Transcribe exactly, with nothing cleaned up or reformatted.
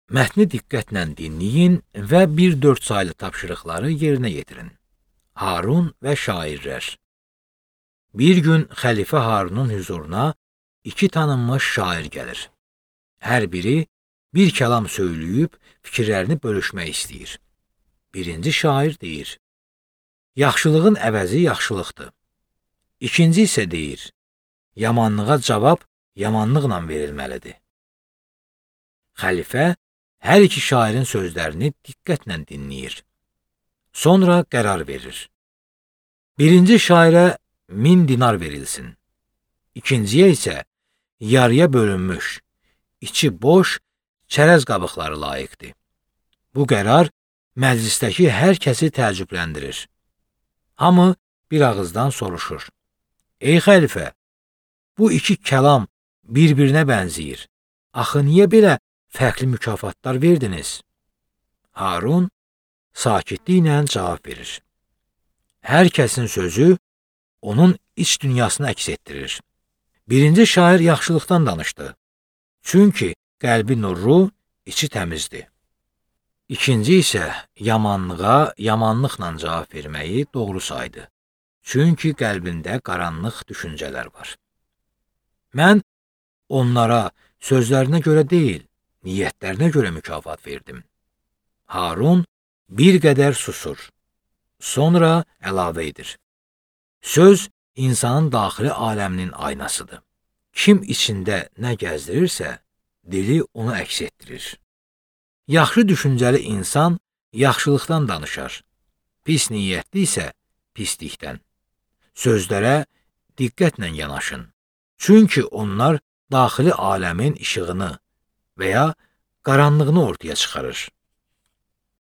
Mətni diqqətlə dinləyin və bir dörd saylı tapşırıqları yerinə yetirin. Harun və şairlər. Bir gün xəlifə Harunun huzuruna iki tanınmış şair gəlir. Hər biri bir kəlam söyləyib fikirlərini bölüşmək istəyir. Birinci şair deyir: yaxşılığın əvəzi yaxşılıqdır. İkinci isə deyir: yamanlığa cavab yamanlıqla verilməlidir. Xəlifə hər iki şairin sözlərini diqqətlə dinləyir. Sonra qərar verir. Birinci şairə min dinar verilsin. İkinciyə isə yarıya bölünmüş, içi boş çərəz qabıqları layiqdir. Bu qərar məclisdəki hər kəsi təəccübləndirir. Hamı bir ağızdan soruşur: ey xəlifə, bu iki kəlam bir-birinə bənzəyir. Axı niyə belə fərqli mükafatlar verdiniz? Harun sakitliklə cavab verir. Hər kəsin sözü onun iç dünyasını əks etdirir. Birinci şair yaxşılıqdan danışdı. Çünki qəlbi nurlu, içi təmizdir. İkinci isə yamanlığa yamanlıqla cavab verməyi doğru saydı. Çünki qəlbində qaranlıq düşüncələr var. Mən onlara sözlərinə görə deyil, niyyətlərinə görə mükafat verdim. Harun bir qədər susur. Sonra əlavə edir. Söz insanın daxili aləminin aynasıdır. Kim içində nə gəzdirirsə, dili onu əks etdirir. Yaxşı düşüncəli insan yaxşılıqdan danışar. Pis niyyətli isə pislikdən. Sözlərə diqqətlə yanaşın. Çünki onlar daxili aləmin işığını və ya qaranlığını ortaya çıxarır.